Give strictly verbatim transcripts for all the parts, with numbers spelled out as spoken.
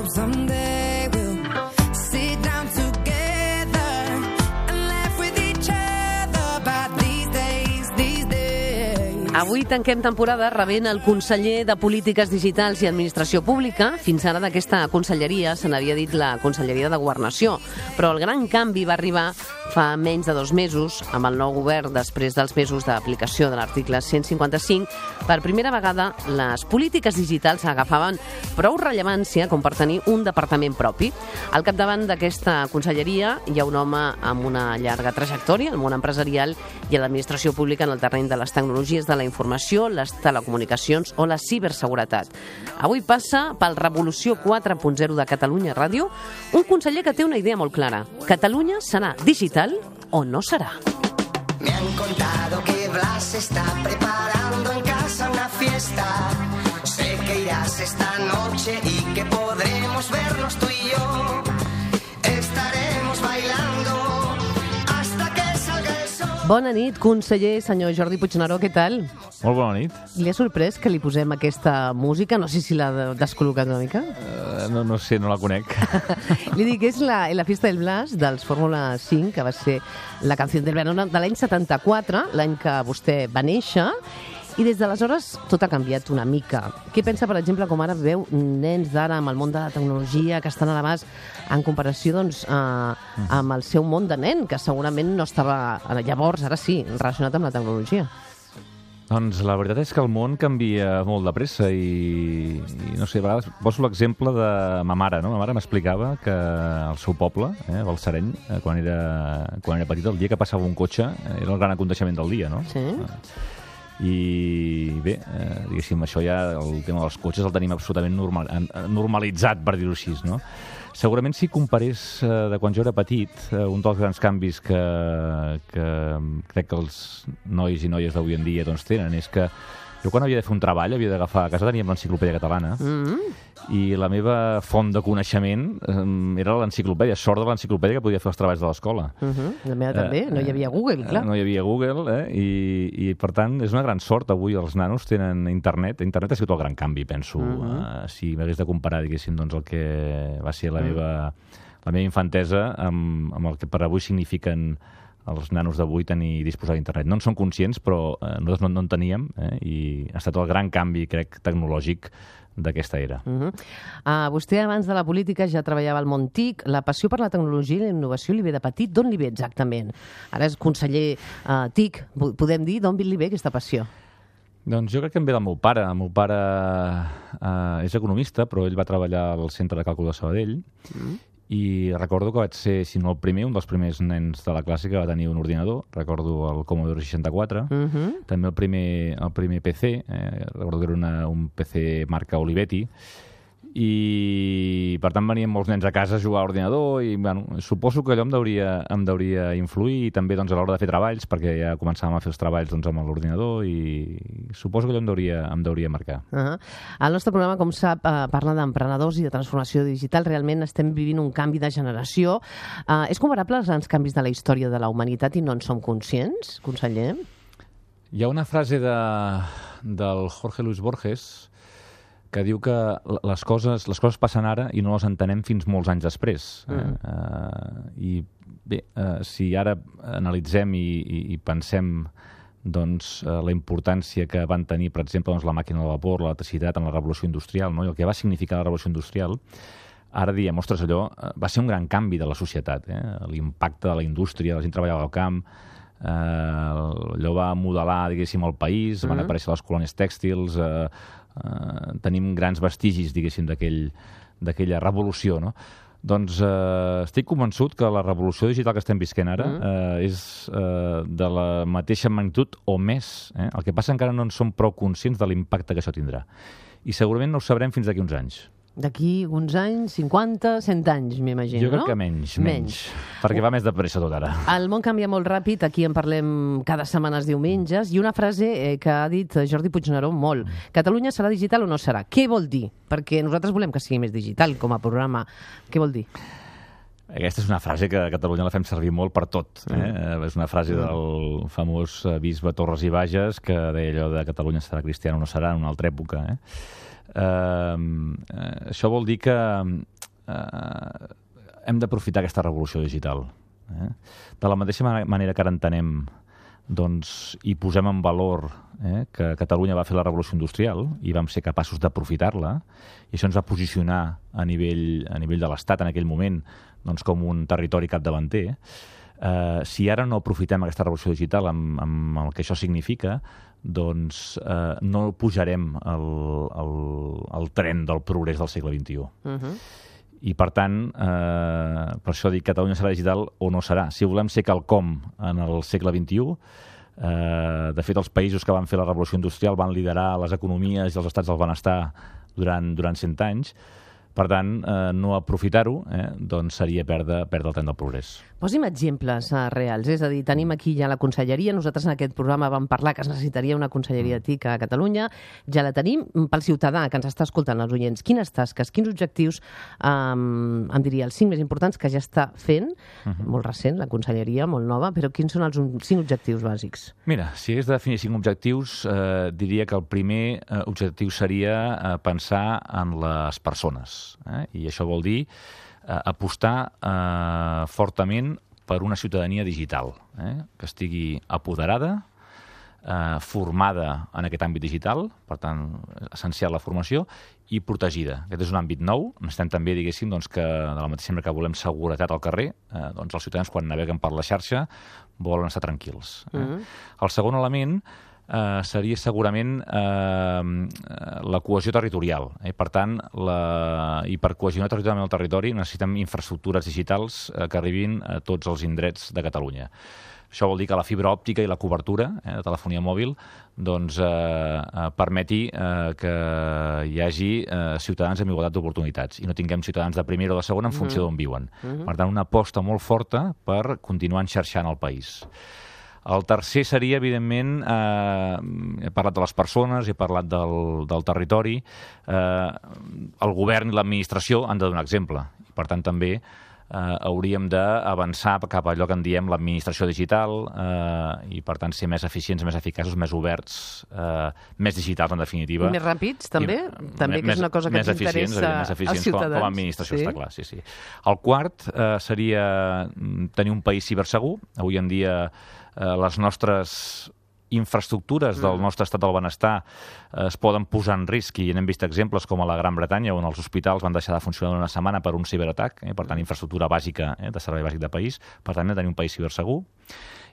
hope someday we'll sit down together and laugh with each other about these days, these days. Avui tanquem temporada rebent el conseller de Polítiques Digitals i Administració Pública. Fins ara d'aquesta conselleria se n'havia dit la Conselleria de Governació, però el gran canvi va arribar fa menys de dos mesos, amb el nou govern, després dels mesos d'aplicació de l'article cent cinquanta-cinc. Per primera vegada, les polítiques digitals agafaven prou rellevància com per tenir un departament propi. Al capdavant d'aquesta conselleria hi ha un home amb una llarga trajectòria al món empresarial i a l'administració pública en el terreny de les tecnologies de la informació, les telecomunicacions o la ciberseguretat. Avui passa pel Revolució quatre punt zero de Catalunya Ràdio un conseller que té una idea molt clara. Catalunya serà digital o no será. Me han contado que Blas está preparando en casa una fiesta. Sé que irás esta noche y que podremos vernos tú y yo. Estaremos bailando hasta que salga el sol. Bona nit, conseller, senyor Jordi Puigneró, què tal? Molt bona nit. Li ha sorprès que li posem aquesta música? No sé si l'ha descol·locat una mica. Uh, no, no sé, no la conec. Li dic, és la, la Fiesta del Blas dels Fórmula cinc, que va ser la canció del verano de l'any setanta-quatre, l'any que vostè va néixer, i des d'aleshores tot ha canviat una mica. Què pensa, per exemple, com ara veu nens d'ara amb el món de la tecnologia que estan a l'abast en comparació doncs, eh, amb el seu món de nen, que segurament no estava llavors, ara sí, relacionat amb la tecnologia? Doncs la veritat és que el món canvia molt de pressa i, i no sé, a vegades poso l'exemple de ma mare, no? Ma mare m'explicava que al seu poble, eh, Balsareny, eh, quan, era, quan era petita, el dia que passava un cotxe eh, era el gran aconteixement del dia, no? Sí. I bé, eh, diguéssim, això ja, el tema dels cotxes el tenim absolutament normal, normalitzat, per dir-ho així, no? Segurament si comparés eh, de quan jo era petit, eh, un dels grans canvis que, que crec que els nois i noies d'avui en dia doncs, tenen és que jo quan havia de fer un treball havia d'agafar, a casa teníem l'enciclopèdia catalana mm-hmm. i la meva font de coneixement eh, era l'enciclopèdia, sort de l'enciclopèdia que podia fer els treballs de l'escola. Mm-hmm. La meva també, eh, no hi havia Google, clar. No hi havia Google, eh, i, i per tant és una gran sort. Avui els nanos tenen internet. Internet ha sigut el gran canvi, penso. Mm-hmm. eh, si m'hagués de comparar, diguéssim, doncs, el que va ser la, mm. meva, la meva infantesa amb, amb el que per avui signifiquen els nanos d'avui tenir disposar d'internet. No en són conscients, però eh, nosaltres no, no en teníem, eh, i ha estat el gran canvi, crec, tecnològic d'aquesta era. Uh-huh. uh, vostè, abans de la política, ja treballava al món TIC. La passió per la tecnologia i la innovació li ve de petit. D'on li ve exactament? Ara és conseller uh, TIC. Podem dir d'on li ve aquesta passió? Doncs jo crec que em ve del meu pare. El meu pare uh, és economista, però ell va treballar al Centre de Càlcul de Sabadell, mm. i recordo que vaig ser, si no el primer, un dels primers nens de la classe que va tenir un ordinador. Recordo el Commodore seixanta-quatre, uh-huh. també el primer, el primer P C, eh, recordo que era una, un P C marca Olivetti, i per tant venien molts nens a casa a jugar a l'ordinador i bueno, suposo que allò em deuria, em deuria influir, i també doncs, a l'hora de fer treballs, perquè ja començàvem a fer els treballs doncs, amb l'ordinador, i suposo que allò em deuria, em deuria marcar. Uh-huh. El nostre programa, com sap, eh, parla d'emprenedors i de transformació digital. Realment estem vivint un canvi de generació. Uh, és comparable als grans canvis de la història de la humanitat i no en som conscients, conseller? Hi ha una frase de, del Jorge Luis Borges que diu que les coses, les coses passen ara i no les entenem fins molts anys després. Mm. Eh? Uh, I bé, uh, si ara analitzem i, i, i pensem doncs, uh, la importància que van tenir, per exemple, doncs, la màquina de vapor, l'electricitat en la revolució industrial, no? I el que va significar la revolució industrial, ara diem, ostres, allò uh, va ser un gran canvi de la societat. Eh? L'impacte de la indústria, la gent treballava al camp, eh, allò va modelar, diguéssim, el país, mm. van aparèixer les colònies tèxtils, eh, Uh, tenim grans vestigis, diguéssim, d'aquell, d'aquella revolució, no? Doncs eh, estic convençut que la revolució digital que estem visquent ara mm. eh, és eh, de la mateixa magnitud o més. Eh? El que passa encara no en som prou conscients de l'impacte que això tindrà. I segurament no ho sabrem fins d'aquí uns anys. D'aquí uns anys, cinquanta, cent anys, m'imagino, no? Jo crec que menys, menys, menys. Perquè va més de pressa tot ara. El món canvia molt ràpid, aquí en parlem cada setmana els diumenges, i una frase eh, que ha dit Jordi Puigneró molt. Catalunya serà digital o no serà? Què vol dir? Perquè nosaltres volem que sigui més digital com a programa. Què vol dir? Aquesta és una frase que a Catalunya la fem servir molt per tot. Eh? Mm. És una frase del famós bisbe Torres i Bages que deia allò de Catalunya serà cristiana o no serà en una altra època, eh? Uh, uh, això vol dir que eh, hem d'aprofitar aquesta revolució digital. Eh? De la mateixa manera que ara entenem doncs, i posem en valor eh, que Catalunya va fer la revolució industrial i vam ser capaços d'aprofitar-la, i això ens va posicionar a nivell, a nivell de l'Estat en aquell moment doncs, com un territori capdavanter. Eh, si ara no aprofitem aquesta revolució digital amb, amb el que això significa, doncs eh, no pujarem el, el, el tren del progrés del segle vint-i-u. Uh-huh. I, per tant, eh, per això dic que Catalunya serà digital o no serà. Si volem ser quelcom en el segle vint-i-u, eh, de fet, els països que van fer la revolució industrial van liderar les economies i els estats del benestar durant, durant cent anys. Per tant, eh, no aprofitar-ho eh, doncs seria perdre, perdre el tren del progrés. Posi'm exemples uh, reals, és a dir, tenim aquí ja la conselleria, nosaltres en aquest programa vam parlar que es necessitaria una conselleria T I C a Catalunya, ja la tenim. Pel ciutadà que ens està escoltant, els oients, quines tasques, quins objectius, um, em diria, els cinc més importants que ja està fent, uh-huh. molt recent, la conselleria, molt nova, però quins són els cinc objectius bàsics? Mira, si hagués de definir cinc objectius, eh, diria que el primer eh, objectiu seria eh, pensar en les persones. Eh? I això vol dir eh, apostar eh, fortament per una ciutadania digital, eh? que estigui apoderada, eh, formada en aquest àmbit digital, per tant, essencial la formació, i protegida. Aquest és un àmbit nou. Necessitem també, diguéssim, doncs, que de la mateixa manera que volem seguretat al carrer, eh, doncs els ciutadans, quan naveguen per la xarxa, volen estar tranquils. Eh? Uh-huh. El segon element Uh, seria segurament uh, la cohesió territorial. Eh? Per tant, la... i per cohesionar territorialment el territori necessitem infraestructures digitals uh, que arribin a tots els indrets de Catalunya. Això vol dir que la fibra òptica i la cobertura eh, de telefonia mòbil doncs, eh, eh, permeti eh, que hi hagi eh, ciutadans amb igualtat d'oportunitats i no tinguem ciutadans de primera o de segona en funció d'on viuen. Uh-huh. Per tant, una aposta molt forta per continuar enxarxant el país. El tercer seria, evidentment, eh, he parlat de les persones, he parlat del, del territori, eh, el govern i l'administració han de donar exemple. Per tant, també eh, hauríem d'avançar cap a allò que en diem l'administració digital eh, i, per tant, ser més eficients, més eficaços, més oberts, eh, més digitals, en definitiva. I més ràpids, també? I, també, que és una cosa que ens interessa més eficients, als ciutadans. Com, com a administració, sí? Està clar, sí, sí. El quart eh, seria tenir un país cibersegur. Avui en dia les nostres infraestructures del nostre estat del benestar es poden posar en risc, i n'hem vist exemples com a la Gran Bretanya, on els hospitals van deixar de funcionar una setmana per un ciberatac, eh? Per tant, infraestructura bàsica, eh? de servei bàsic de país, per tant, hem de tenir un país cibersegur.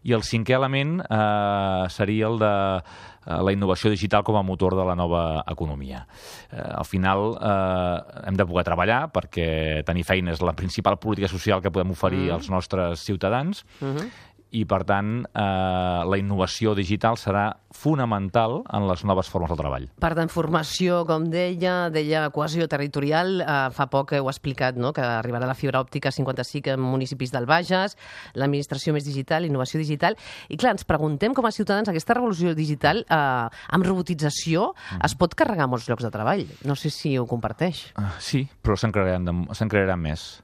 I el cinquè element eh, seria el de eh, la innovació digital com a motor de la nova economia. Eh, al final eh, hem de poder treballar, perquè tenir feina és la principal política social que podem oferir mm. als nostres ciutadans, mm-hmm. i, per tant, eh, la innovació digital serà fonamental en les noves formes del treball. Per tant, formació, com deia, deia cohesió territorial, eh, fa poc heu explicat no? que arribarà la fibra òptica a cinquanta-cinc municipis del Bages, l'administració més digital, innovació digital, i clar, ens preguntem com a ciutadans, aquesta revolució digital eh, amb robotització mm. es pot carregar molts llocs de treball. No sé si ho comparteix. Uh, sí, però se'n crearan, se'n crearan més.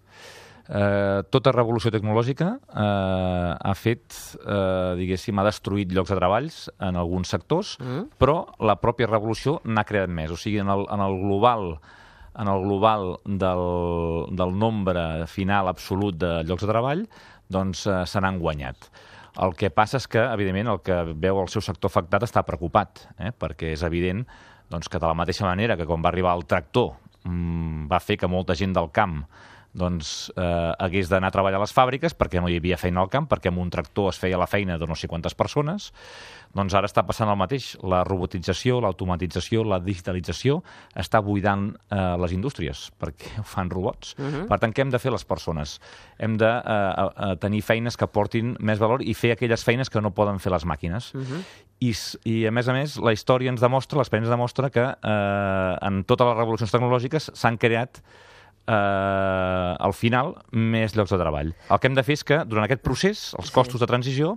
Eh, tota revolució tecnològica eh, ha fet, eh, diguéssim, ha destruït llocs de treballs en alguns sectors, mm. però la pròpia revolució n'ha creat més. O sigui, en el, en el global, en el global del, del nombre final absolut de llocs de treball, doncs eh, se n'han guanyat. El que passa és que, evidentment, el que veu el seu sector afectat està preocupat, eh, perquè és evident doncs, que de la mateixa manera que quan va arribar el tractor mmm, va fer que molta gent del camp doncs eh, hagués d'anar a treballar a les fàbriques perquè no hi havia feina al camp, perquè amb un tractor es feia la feina de no sé quantes persones, doncs ara està passant el mateix. La robotització, l'automatització, la digitalització està buidant eh, les indústries, perquè ho fan robots. Uh-huh. Per tant, què hem de fer les persones? Hem de eh, tenir feines que portin més valor i fer aquelles feines que no poden fer les màquines. Uh-huh. I, I, a més a més, la història ens demostra, l'experiència ens demostra que eh, en totes les revolucions tecnològiques s'han creat Uh, al final, més llocs de treball. El que hem de fer és que, durant aquest procés, els costos sí. de transició,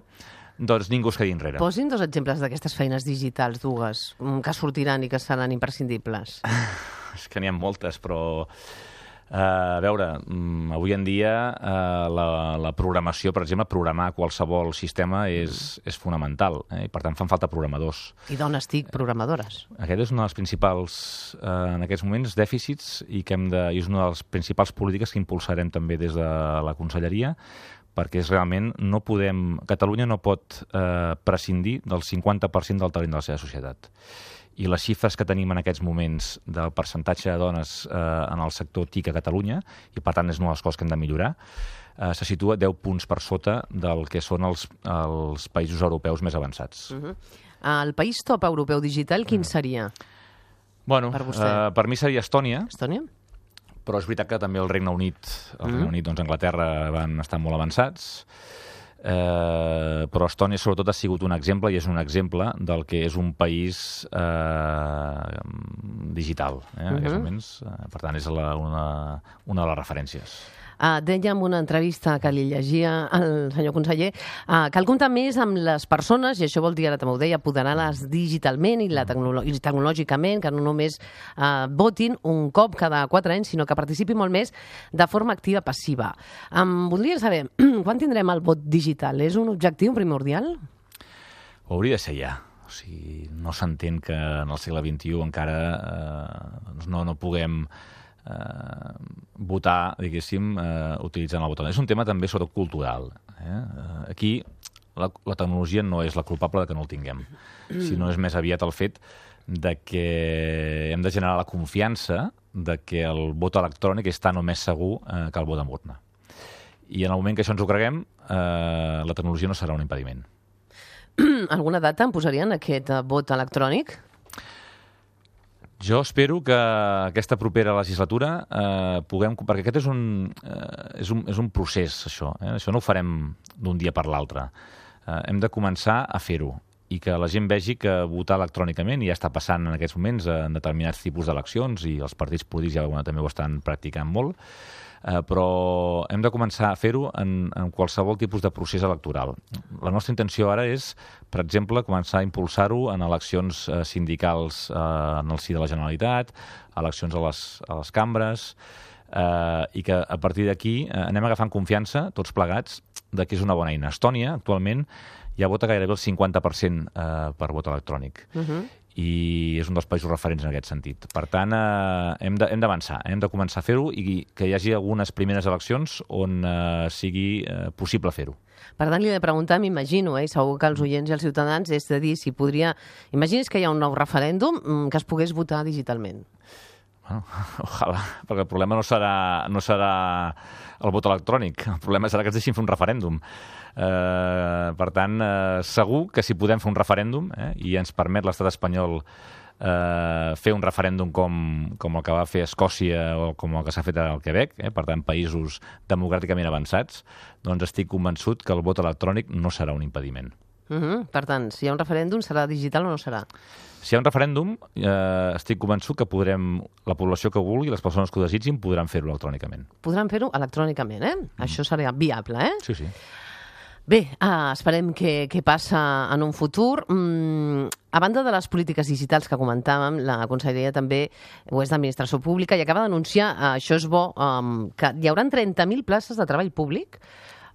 doncs ningú es quedi enrere. Posin dos exemples d'aquestes feines digitals, dues, que sortiran i que seran imprescindibles. És que n'hi ha moltes, però Uh, a veure, um, avui en dia uh, la, la programació, per exemple, programar qualsevol sistema és, és fonamental, eh? I per tant fan falta programadors. I dones TIC programadores. Aquest és un dels principals, uh, en aquests moments, dèficits i que hem de, i és una de les principals polítiques que impulsarem també des de la Conselleria, perquè és realment, no podem, Catalunya no pot eh, prescindir del cinquanta per cent del talent de la seva societat. I les xifres que tenim en aquests moments del percentatge de dones eh, en el sector TIC a Catalunya, i per tant és una de les coses que hem de millorar, eh, se situa deu punts per sota del que són els, els països europeus més avançats. Uh-huh. El país top europeu digital, quin seria? Bueno, per vostè? Eh, per mi seria Estònia. Estònia? Però és veritat que també el Regne Unit, el Regne Mm. Unit, doncs Anglaterra van estar molt avançats, eh, però Estònia sobretot ha sigut un exemple i és un exemple del que és un país eh, digital, eh, en aquests Mhm. moments. Eh, per tant, és la, una, una de les referències. Uh, deia en una entrevista que li llegia el senyor conseller uh, cal comptar més amb les persones, i això vol dir, ara també ho deia, apoderar-les digitalment i, la tecnolo i tecnològicament, que no només uh, votin un cop cada quatre anys, sinó que participin molt més de forma activa passiva. Um, voldria saber, quan tindrem el vot digital? És un objectiu primordial? Ho hauria de ser ja. O sigui, no s'entén que en el segle vint-i-u encara eh, doncs no, no puguem eh, votar, diguéssim, eh, utilitzant el botó. És un tema també sobretot cultural. Eh? Aquí la, la tecnologia no és la culpable de que no el tinguem, sinó és més aviat el fet de que hem de generar la confiança de que el vot electrònic és tan o més segur eh, que el vot amb urna. I en el moment que això ens ho creguem, eh, la tecnologia no serà un impediment. Alguna data em posarien aquest uh, vot electrònic? Jo espero que aquesta propera legislatura eh, puguem... Perquè aquest és un, eh, és un, és un procés, això. Eh? Això no ho farem d'un dia per l'altre. Eh, hem de començar a fer-ho i que la gent vegi que votar electrònicament, i ja està passant en aquests moments en determinats tipus d'eleccions, i els partits polítics ja bueno, també ho estan practicant molt, eh, però hem de començar a fer-ho en, en qualsevol tipus de procés electoral. La nostra intenció ara és, per exemple, començar a impulsar-ho en eleccions eh, sindicals eh, en el si de la Generalitat, eleccions a les, a les cambres, eh, i que a partir d'aquí eh, anem agafant confiança, tots plegats, de que és una bona eina. Estònia, actualment, ja vota gairebé el cinquanta per cent eh, per vot electrònic. Uh-huh. I és un dels països referents en aquest sentit. Per tant, eh, hem de, hem d'avançar, hem de començar a fer-ho i que hi hagi algunes primeres eleccions on eh, sigui eh, possible fer-ho. Per tant, li he de preguntar, m'imagino, eh, segur que els oients i els ciutadans, és de dir si podria... Imagini's que hi ha un nou referèndum mm, que es pogués votar digitalment. Bueno, ojalà, perquè el problema no serà, no serà el vot electrònic, el problema serà que ens deixin fer un referèndum. Eh, per tant, eh, segur que si podem fer un referèndum eh, i ens permet l'estat espanyol eh, fer un referèndum com, com el que va fer Escòcia o com el que s'ha fet al Quebec, eh, per tant, països democràticament avançats, doncs estic convençut que el vot electrònic no serà un impediment. Uh-huh. Per tant, si hi ha un referèndum, serà digital o no serà? Si hi ha un referèndum, eh, estic convençut que podrem, la població que ho vulgui, les persones que ho desitgin, podran fer-ho electrònicament. Podran fer-ho electrònicament, eh? Mm. Això serà viable, eh? Sí, sí. Bé, uh, esperem que, que passa en un futur. Mm, a banda de les polítiques digitals que comentàvem, la Conselleria també ho és d'Administració Pública i acaba d'anunciar, uh, això és bo, um, que hi haurà trenta mil places de treball públic.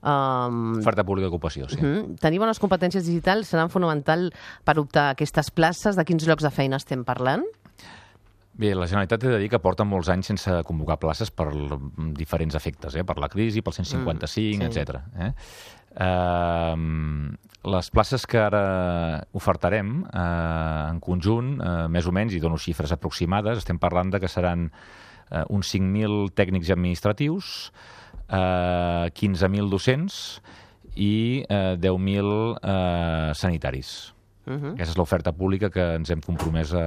Um, Oferta pública d'ocupació, sí. uh-huh. Tenir bones competències digitals seran fonamental per optar a aquestes places. De quins llocs de feina estem parlant? Bé, la Generalitat té de dir que porta molts anys sense convocar places per diferents efectes, eh? Per la crisi, pel cent cinquanta-cinc, mm, sí. etcètera. Eh? Uh, les places que ara ofertarem uh, en conjunt, uh, més o menys, i dono xifres aproximades, estem parlant de que seran uh, uns cinc mil tècnics administratius, uh, quinze mil docents i uh, deu mil uh, sanitaris. Uh-huh. Aquesta és l'oferta pública que ens hem compromès a,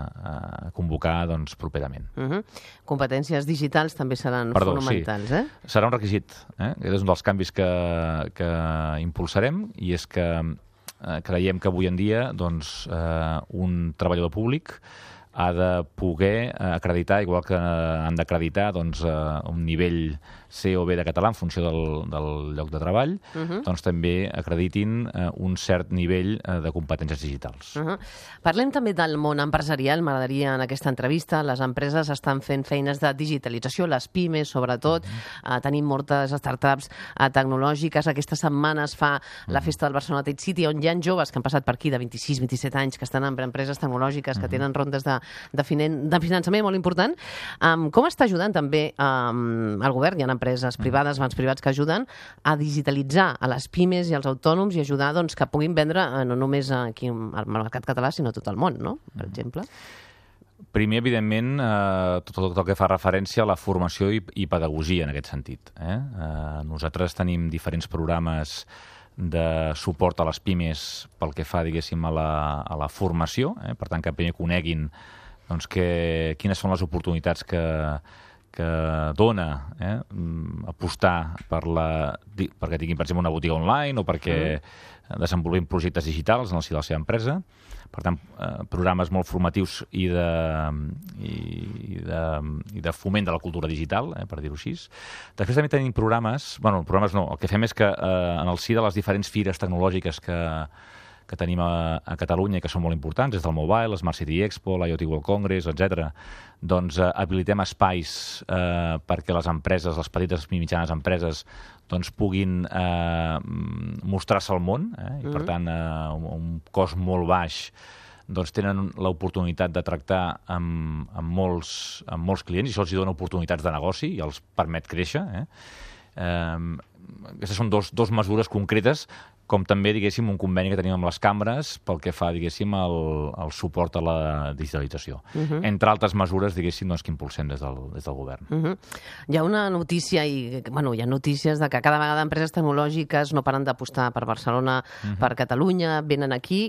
a convocar doncs, properament. Uh-huh. Competències digitals també seran Perdó, fonamentals, sí. eh? Serà un requisit. Eh? Aquest és un dels canvis que, que impulsarem i és que eh, creiem que avui en dia doncs, eh, un treballador públic ha de poder acreditar, igual que han d'acreditar doncs, un nivell C o B de català en funció del, del lloc de treball, uh-huh. doncs també acreditin un cert nivell de competències digitals. Uh-huh. Parlem també del món empresarial. M'agradaria en aquesta entrevista. Les empreses estan fent feines de digitalització, les pimes sobretot. Uh-huh. Uh, tenim moltes startups uh, tecnològiques. Aquesta setmana es fa uh-huh. la festa del Barcelona Tech City, on hi ha joves que han passat per aquí de vint-i-sis vint-i-set anys, que estan en empreses tecnològiques, que uh-huh. tenen rondes de, de, finen, de finançament molt important. Um, com està ajudant també um, el govern? Hi ha empreses privades, bancs privats que ajuden a digitalitzar a les pimes i als autònoms i ajudar doncs, que puguin vendre eh, no només aquí al mercat català, sinó a tot el món, no? Per exemple. Primer, evidentment, eh, tot, tot el que fa referència a la formació i, i pedagogia en aquest sentit. Eh? Eh, nosaltres tenim diferents programes de suport a les pimes pel que fa, diguéssim, a la, a la formació, eh? Per tant, que primer coneguin doncs, que, quines són les oportunitats que que dona eh, apostar per la, perquè tinguin, per exemple, una botiga online o perquè mm. desenvolupin projectes digitals en el si de la seva empresa. Per tant, eh, programes molt formatius i de, i, de, i de foment de la cultura digital, eh, per dir-ho així. Després també tenim programes, bueno, programes no, el que fem és que eh, en el si de les diferents fires tecnològiques que que tenim a, a Catalunya i que són molt importants, des del Mobile, Smart City Expo, l'IoT World Congress, etcètera, doncs eh, habilitem espais eh, perquè les empreses, les petites i mitjanes empreses, doncs puguin eh, mostrar-se al món, eh, i per tant, eh, un, un cost molt baix, doncs tenen l'oportunitat de tractar amb, amb, molts, amb molts clients i això els dona oportunitats de negoci i els permet créixer. Eh? Eh, aquestes són dos, dos mesures concretes, com també, diguéssim, un conveni que tenim amb les cambres pel que fa, diguéssim, el, el suport a la digitalització. Uh-huh. Entre altres mesures, diguéssim, doncs, que impulsem des del, des del govern. Uh-huh. Hi ha una notícia, i bueno, hi ha notícies de que cada vegada empreses tecnològiques no paren d'apostar per Barcelona, uh-huh. per Catalunya, venen aquí.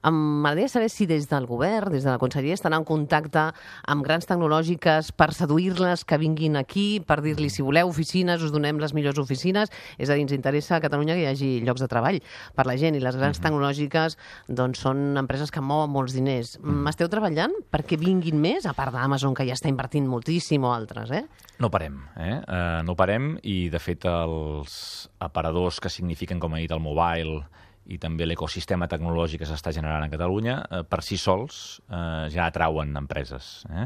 M'agradaria saber si des del govern, des de la conselleria, estan en contacte amb grans tecnològiques per seduir-les que vinguin aquí, per dir-li, si voleu oficines, us donem les millors oficines. És a dir, ens interessa a Catalunya que hi hagi llocs de treball per la gent, i les grans uh-huh. tecnològiques doncs, són empreses que mouen molts diners. Uh-huh. Esteu treballant perquè vinguin més, a part d'Amazon, que ja està invertint moltíssim, o altres, eh? No parem, eh? Uh, no parem, i de fet els aparadors que signifiquen, com he dit, el mobile i també l'ecosistema tecnològic que s'està generant a Catalunya, eh, per si sols eh, ja atrauen empreses. Eh?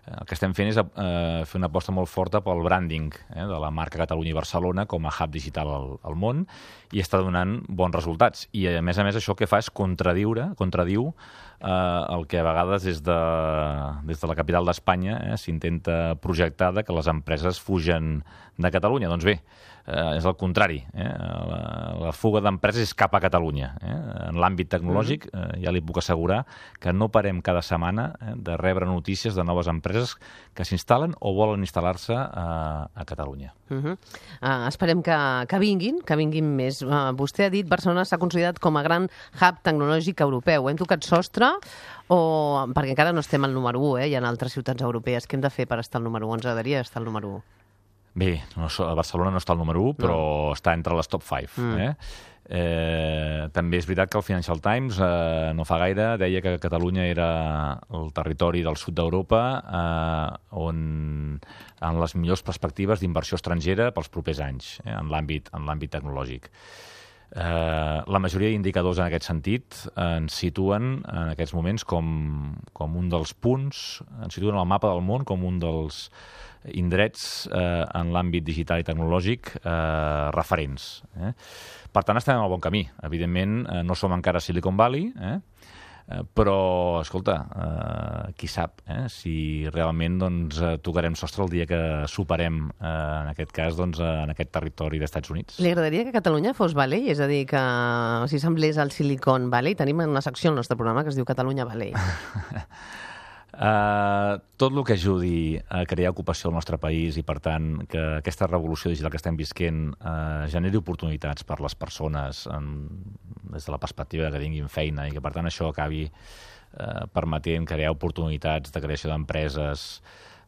El que estem fent és eh, fer una aposta molt forta pel branding eh, de la marca Catalunya i Barcelona com a hub digital al, al món, i està donant bons resultats. I, a més a més, això el que fa és contradiure, contradiu eh, el que a vegades des de, des de la capital d'Espanya eh, s'intenta projectar de que les empreses fugen de Catalunya. Doncs bé, eh, és el contrari. Eh? La, la fuga d'empreses és cap a Catalunya. Eh? En l'àmbit tecnològic eh, ja li puc assegurar que no parem cada setmana eh, de rebre notícies de noves empreses que s'instal·len o volen instal·lar-se a, a Catalunya. Uh-huh. uh, esperem que, que vinguin, que vinguin més. Uh, vostè ha dit que Barcelona s'ha considerat com a gran hub tecnològic europeu. Hem tocat sostre? O, perquè encara no estem al número u, eh? Hi ha altres ciutats europees. Què hem de fer per estar al número u? Ens agradaria estar al número u. Bé, no, a Barcelona no està al número u, però no. Està entre les top cinc. Mm. Eh? Eh, també és veritat que el Financial Times eh, no fa gaire deia que Catalunya era el territori del sud d'Europa eh, on en les millors perspectives d'inversió estrangera pels propers anys eh, en l'àmbit en l'àmbit tecnològic. Eh, la majoria d'indicadors en aquest sentit ens situen en aquests moments com, com un dels punts, ens situen al mapa del món com un dels indrets eh, en l'àmbit digital i tecnològic eh, referents. Eh? Per tant, estem en el bon camí. Evidentment, eh, no som encara Silicon Valley, eh? Eh, però, escolta, eh, qui sap eh? si realment doncs, eh, tocarem sostre el dia que superem, eh, en aquest cas, doncs, eh, en aquest territori d'Estats Units. Li agradaria que Catalunya fos Valley? És a dir, que si semblés al Silicon Valley, tenim una secció al nostre programa que es diu Catalunya Valley. Uh, tot el que ajudi a crear ocupació al nostre país i, per tant, que aquesta revolució digital que estem visquent uh, generi oportunitats per les persones en, des de la perspectiva que tinguin feina i que, per tant, això acabi uh, permetent crear oportunitats de creació d'empreses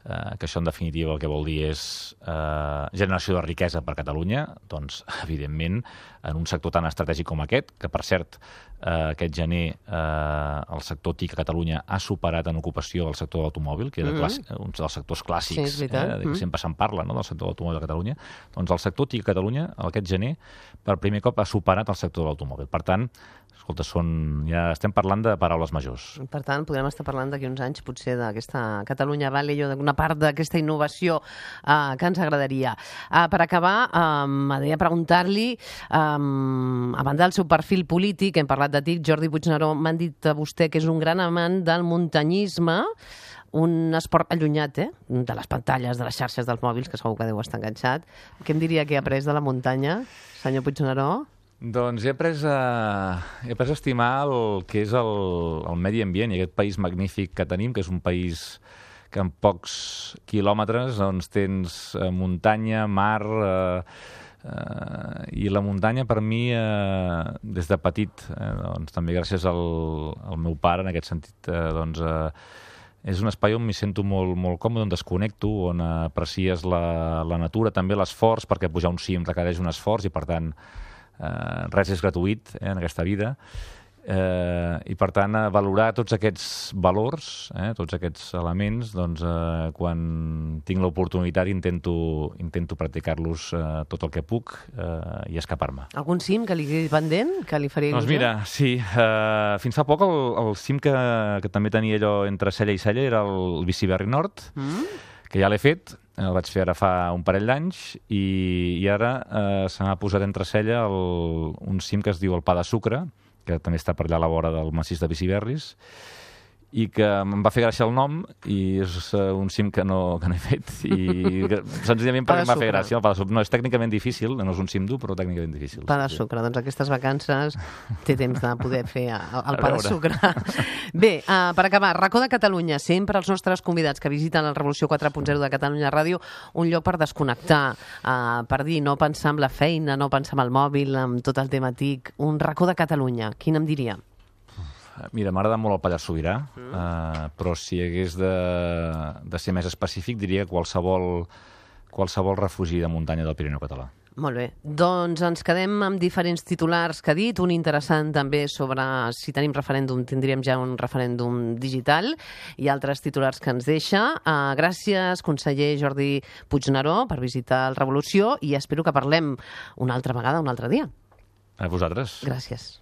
eh, que això en definitiva el que vol dir és eh, generació de riquesa per Catalunya, doncs evidentment en un sector tan estratègic com aquest, que per cert eh, aquest gener eh, el sector T I C a Catalunya ha superat en ocupació el sector de l'automòbil, que era mm-hmm. un dels sectors clàssics, sí, eh, que sempre se'n parla, no?, del sector de l'automòbil a Catalunya. Doncs el sector T I C a Catalunya aquest gener per primer cop ha superat el sector de l'automòbil. Per tant, escolta, són, ja estem parlant de paraules majors. Per tant, podrem estar parlant d'aquí uns anys potser d'aquesta Catalunya Valley o d'una part d'aquesta innovació uh, que ens agradaria. Uh, per acabar, uh, m'agradaria preguntar-li, um, a banda del seu perfil polític, hem parlat de T I C, Jordi Puigneró, m'han dit a vostè que és un gran amant del muntanyisme, un esport allunyat, eh?, de les pantalles, de les xarxes dels mòbils, que segur que deu estar enganxat. Què em diria que ha après de la muntanya, senyor Puigneró? Doncs he après a, he après a estimar el que és el, el medi ambient i aquest país magnífic que tenim, que és un país que en pocs quilòmetres doncs, tens eh, muntanya, mar, eh, eh, i la muntanya per mi, eh, des de petit, eh, doncs, també gràcies al, al meu pare, en aquest sentit, eh, doncs, eh, és un espai on m'hi sento molt, molt còmode, on desconnecto, on aprecies la, la natura, també l'esforç, perquè pujar un cim requereix un esforç i, per tant, Uh, res és gratuït eh, en aquesta vida uh, i per tant uh, valorar tots aquests valors, eh, tots aquests elements, doncs uh, quan tinc l'oportunitat intento, intento practicar-los uh, tot el que puc uh, i escapar-me. Algun cim que li quedi pendent, que li faria il·lusió? Doncs mira, sí, uh, fins fa poc el, el cim que, que també tenia allò entre cella i cella era el Biciberri Nord, mm? que ja l'he fet, el vaig fer ara fa un parell d'anys i, i ara eh, se m'ha posat entre cella el, un cim que es diu el Pa de Sucre, que també està per allà a la vora del massís de Biciberris, i que em va fer gràcia el nom i és uh, un cim que no, que no he fet i que, senzillament perquè em va fer gràcia el Pa de Sucre. No, és tècnicament difícil, no és un cim dur, però tècnicament difícil. Pa de Sucre, doncs aquestes vacances té temps de poder fer el, el Pa de Sucre. Bé, uh, per acabar, Racó de Catalunya, sempre els nostres convidats que visiten la Revolució quatre punt zero de Catalunya Ràdio, un lloc per desconnectar, uh, per dir, no pensar en la feina, no pensar en el mòbil, en tot el tema T I C. Un Racó de Catalunya, quin em diria? Mira, m'agrada molt el Pallars Sobirà, mm. uh, però si hagués de, de ser més específic, diria qualsevol, qualsevol refugi de muntanya del Pirineu català. Molt bé. Doncs ens quedem amb diferents titulars que ha dit, un interessant també sobre si tenim referèndum, tindríem ja un referèndum digital, i altres titulars que ens deixa. Uh, gràcies, conseller Jordi Puigneró, per visitar el Revolució, i espero que parlem una altra vegada, un altre dia. A vosaltres. Gràcies.